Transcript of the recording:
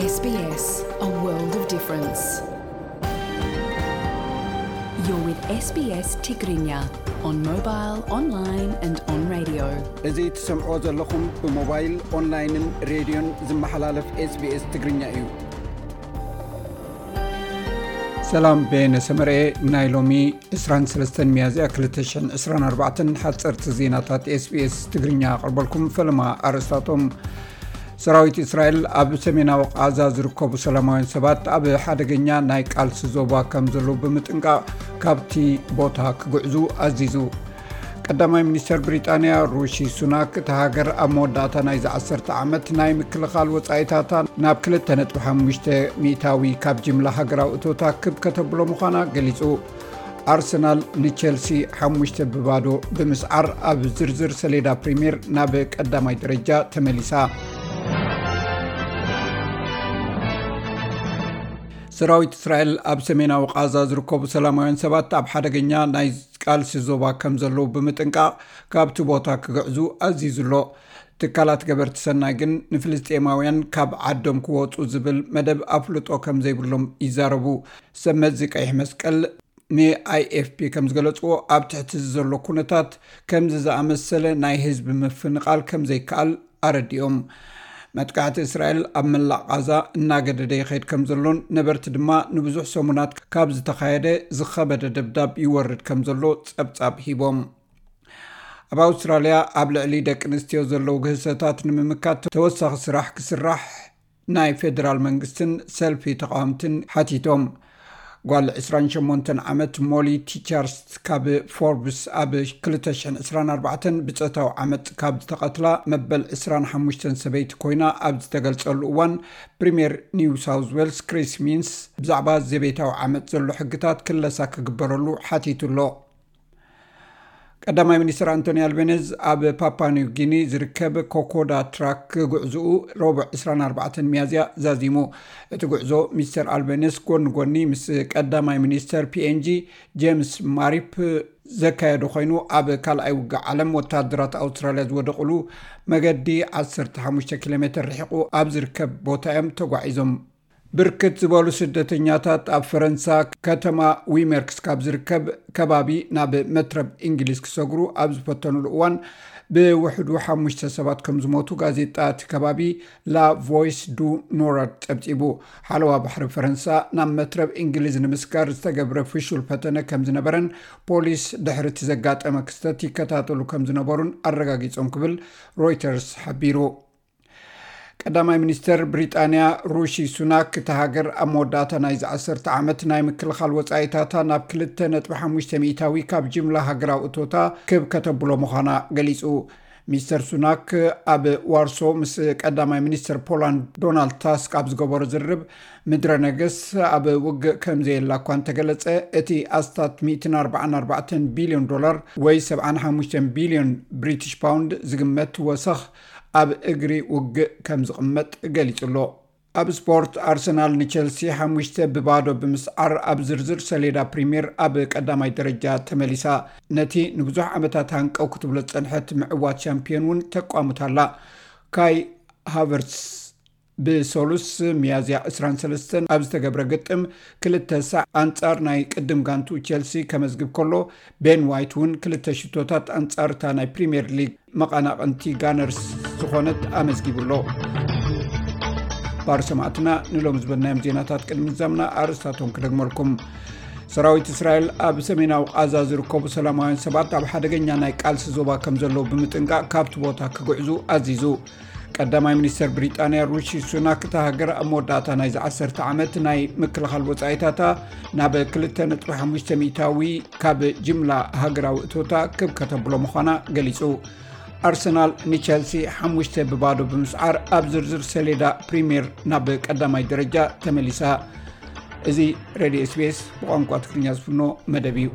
S B S, a world of difference. You're with S B S Tigrinya on mobile, online and on radio. እዚ ትሰምዖ ዘለኹም ብሞባይል፣ ኦንላይንን ሬድዮን ዝመሓላለፍ SBS ትግርኛ እዩ። ሰላም፣ በየነ ሰመርኤ። ናይ ሎሚ ዕስራን ሰለስተን ሚያዝያ ክልተ ሽሕን ዕስራን ኣርባዕተን ሓፀርቲ ዜናታት SBS ትግርኛ ኣቕርበልኩም። ፈለማ ኣርእስታቶም። ሰራዊት እስራኤል ኣብ ሰሜናዊ ቃዛ ዝርከቡ ሰላማውያን ሰባት ኣብ ሓደገኛ ናይ ቃልሲ ዞባ ከም ዘለዉ ብምጥንቃቕ ካብቲ ቦታ ክግዕዙ ኣዚዙ። ቀዳማይ ሚኒስተር ብሪጣንያ ሩሺ ሱናክ፣ እታ ሃገር ኣብ መወዳእታ ናይዚ ዓሰርተ ዓመት ናይ ምክልኻል ወጻኢታታ ናብ ክልተ ነጥቢ ሓሙሽተ ሚእታዊ ካብ ጅምላ ሃገራዊ እቶታ ክብ ከተብሎ ምዃና ገሊጹ። ኣርሰናል ንቸልሲ ሓሙሽተ ብባዶ ብምስዓር ኣብ ዝርዝር ሰሌዳ ፕሪምየር ናብ ቀዳማይ ደረጃ ተመሊሳ። ሰራዊት እስራኤል ኣብ ሰሜናዊ ቃዛ ዝርከቡ ሰላማውያን ሰባት ኣብ ሓደገኛ ናይ ቃልሲ ዞባ ከም ዘለዉ ብምጥንቃቕ ካብቲ ቦታ ክግዕዙ ኣዚዙ ኣሎ። ትካላት ገበርቲ ሰናይ ግን ንፍልስጤማውያን ካብ ዓዶም ክወጹ ዝብል መደብ ኣፍልጦ ከም ዘይብሎም ይዛረቡ። ሰብ መዚ ቀይሕ መስቀል ን IFP ከም ዝገለጽዎ፣ ኣብ ትሕቲ እዚ ዘሎ ኩነታት ከምዚ ዝኣመሰለ ናይ ህዝቢ ምፍንቓል ከም ዘይከኣል ኣረዲኦም። መጥቃዕቲ እስራኤል ኣብ መላእ ቃዛ እናገደደ ይኸይድ ከም ዘሎን ነበርቲ ድማ ንብዙሕ ሰሙናት ካብ ዝተኻየደ ዝኸበደ ደብዳብ ይወርድ ከም ዘሎ ጸብጻብ ሂቦም። ኣብ ኣውስትራልያ ኣብ ልዕሊ ደቂ ኣንስትዮ ዘለዉ ግህሰታት ንምምካት ተወሳኺ ስራሕ ክስራሕ ናይ ፌደራል መንግስትን ሰልፊ ተቓወምትን ሓቲቶም። ጓል ዕስራን ሸሞንተን ዓመት ሞሊ ቲቻርስ ካብ ፎርብስ ኣብ ክልተ ሽሕን ዕስራን ኣርባዕተን ብጾታዊ ዓመጽ ካብ ዝተቐትላ መበል ዕስራን ሓሙሽተን ሰበይቲ ኮይና ኣብ ዝተገልጸሉ እዋን፣ ፕሪምየር ኒው ሳውዝ ዌልስ ክሪስ ሚንስ ብዛዕባ ዘቤታዊ ዓመጽ ዘሎ ሕግታት ክለሳ ክግበረሉ ሓቲቱ ኣሎ። ቀዳማይ ሚኒስትር ኣንቶኒ ኣልቤኒዝ ኣብ ፓፓ ኒው ጊኒ ዝርከብ ኮኮዳ ትራክ ጉዕዝኡ ረቡዕ ዕስራን ኣርባዕተን ሚያዝያ ዛዚሙ። እቲ ጉዕዞ ሚስተር ኣልቤኒዝ ጎኒ ጎኒ ምስ ቀዳማይ ሚኒስተር PNG ጄምስ ማሪፕ ዘካየዶ ኮይኑ፣ ኣብ ካልኣይ ውግእ ዓለም ወታደራት ኣውስትራልያ ዝወደቕሉ መገዲ ዓሰርተ ሓሙሽተ ኪሎ ሜተር ርሒቑ ኣብ ዝርከብ ቦታ እዮም ተጓዒዞም። ብርክት ዝበሉ ስደተኛታት ኣብ ፈረንሳ ከተማ ዊመርክስ ካብ ዝርከብ ከባቢ ናብ መትረብ እንግሊዝ ክሰግሩ ኣብ ዝፈተኑሉ እዋን፣ ብውሕዱ ሓሙሽተ ሰባት ከም ዝሞቱ ጋዜጣ እቲ ከባቢ ላ ቮይስ ዱ ኖርድ ጸብጺቡ። ሓለዋ ባሕሪ ፈረንሳ ናብ መትረብ እንግሊዝ ንምስጋር ዝተገብረ ፍሹል ፈተነ ከም ዝነበረን ፖሊስ ድሕሪ እቲ ዘጋጠመ ክስተት ይከታተሉ ከም ዝነበሩን ኣረጋጊጾም ክብል ሮይተርስ ሓቢሩ። ቀዳማይ ሚኒስተር ብሪጣንያ ሩሺ ሱናክ፣ እታ ሃገር ኣብ መወዳእታ ናይዚ ዓሰርተ ዓመት ናይ ምክልኻል ወጻኢታታ ናብ ክልተ ነጥቢ ሓሙሽተ ሚእታዊ ካብ ጅምላ ሃገራዊ እቶታ ክብ ከተብሎ ምዃና ገሊጹ። ሚስተር ሱናክ ኣብ ዋርሶ ምስ ቀዳማይ ሚኒስተር ፖላንድ ዶናልድ ታስክ ኣብ ዝገበሮ ዝርርብ፣ ምድረ ነገስ ኣብ ውግእ ከም ዘየላ እኳ እንተገለጸ፣ እቲ ኣስታት ሚእትን ኣርባዓን ኣርባዕተን ቢልዮን ዶላር ወይ ሰብዓን ሓሙሽተን ቢልዮን ብሪቲሽ ፓውንድ ዝግመት ወሰኽ ኣብ እግሪ ውግእ ከም ዝቕመጥ ገሊጹ ኣሎ። ኣብ ስፖርት፣ ኣርሰናል ንቸልሲ ሓሙሽተ ብባዶ ብምስዓር ኣብ ዝርዝር ሰሌዳ ፕሪምየር ኣብ ቀዳማይ ደረጃ ተመሊሳ። ነቲ ንብዙሕ ዓመታት ሃንቀው ክትብሎ ዝጸንሐት ምዕዋት ሻምፒዮን እውን ተቋሙታ ኣላ። ካይ ሃቨርትስ ብሰሉስ ሚያዝያ ዕስራን ሰለስተን ኣብ ዝተገብረ ግጥም ክልተ ሳዕ ኣንጻር ናይ ቅድም ጋንቱ ቸልሲ ከመዝግብ ከሎ፣ ቤን ዋይት እውን ክልተ ሽቶታት ኣንጻር እታ ናይ ፕሪምየር ሊግ መቐናቕንቲ ጋነርስ ዝኾነት ኣመዝጊቡ ኣሎ። ባር ሰማዕትና፣ ንሎም ዝበልናዮም ዜናታት ቅድሚ ምዛምና ኣርእስታቶም ክደግመልኩም። ሰራዊት እስራኤል ኣብ ሰሜናዊ ቃዛ ዝርከቡ ሰላማውያን ሰባት ኣብ ሓደገኛ ናይ ቃልሲ ዞባ ከም ዘለዉ ብምጥንቃቕ ካብቲ ቦታ ክግዕዙ ኣዚዙ። ቀዳማይ ሚኒስተር ብሪጣንያ ሩሺ ሱናክ፣ እታ ሃገር ኣብ መወዳእታ ናይዚ ዓሰርተ ዓመት ናይ ምክልኻል ወጻኢታታ ናብ ክልተ ነጥቢ ሓሙሽተ ሚእታዊ ካብ ጅምላ ሃገራዊ እቶታ ክብ ከተብሎ ምዃና ገሊጹ። ኣርሰናል ንቸልሲ ሓሙሽተ ብባዶ ብምስዓር ኣብ ዝርዝር ሰሌዳ ፕሪምየር ናብ ቀዳማይ ደረጃ ተመሊሳ። እዚ ሬድዮ SBS ብቋንቋ ትግርኛ ዝፍኖ መደብ እዩ።